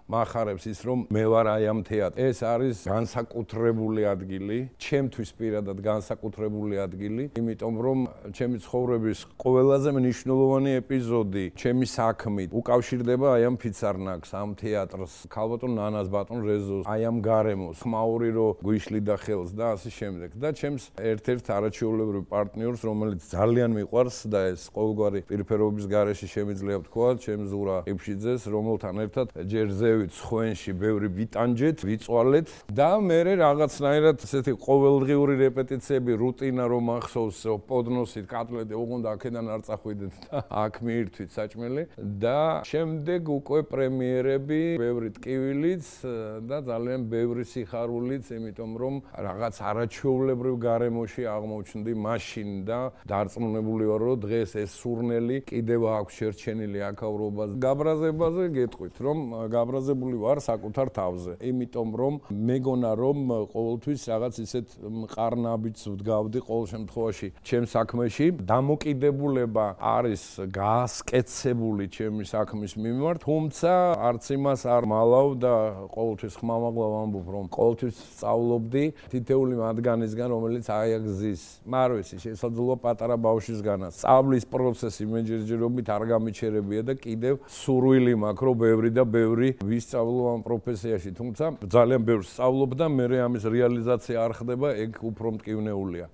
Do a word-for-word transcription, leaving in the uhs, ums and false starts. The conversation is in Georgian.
მახარებს ის რომ მე ვარ აი ამ თეატრში. ეს არის განსაკუთრებული ადგილი, ჩემთვის პირადად განსაკუთრებული ადგილი, იმიტომ რომ ჩემი ცხოვრების ყველაზე მნიშვნელოვანი ეპიზოდი ჩემი საქმით უკავშირდება აი ამ ფიცარნაკს, ამ თეატრს, ქალბატონ ნანას, ბატონ რეზოს, აი ამ გარემოს, ხმაური რო გვიშლიდა ხელს და ასე შემდეგ. და ჩემს ერთ-ერთ არაჩვეულებრივ პარტნიორს, რომელიც ძალიან მიყვარს და ეს ყოველგვარი პირფერობის გარეშე შემიძლია ვთქვა, ჩემ ზურა ყიფშიძეს, რომელთან ერთად ჯერ ზევით სხვენში ბევრი ვიტანჯეთ, ვიწვალეთ და მე რაღაცნაირად ესეთი ყოველდღიური რეპეტიციები, რუტინა რომ ახსოვს, პოდნოსით კატლეტი უგონდა აქედან არ წახვიდეთ და აქ მიირთვით საჭმელი და შემდეგ უკვე პრემიერები, ბევრი ტკივილიც და ძალიან ბევრი სიხარულიც, იმიტომ რომ რაღაც არაჩვეულებრივ გარემოში აღმოჩნდი მაშინ და დარწმუნებული ვარ, რომ დღეს ეს სურნელი კიდევ აქვს შერჩენილი აქაურობას. გაბრაზებაზე გეტყვით, რომ გაბრაზებული ვარ საკუთარ თავზე, იმიტომ რომ მეგონა რომ ყოველთვის რაღაც ისეთ მყარნაბიჯს ვდგავდი ყოველ შემთხვევაში ჩემ საქმეში. დამოკიდებულება არის გაასკეცებული ჩემი საქმის მიმართ, თუმცა არც იმას არ მალავ და ყოველთვის ხმამაღლა ვამბობ, რომ ყოველთვის სწავლობდი თითეული მათგანისგან, რომელიც აიაგზის. მარვესი შესაძლოა პატარა ბავშვისგანაც. სწავლის პროცესი მეჯერჯერობით არ გამიჩერებია და კიდევ სურვილი მაქვს, რომ ბევრი და ბევრი ვისწავლო ამ პროფესიაში, თუმცა ძალიან ბევრს სწავლობ და მე ამის რეალიზაცია არ ხდება, ეგ უფრო მტკივნეულია.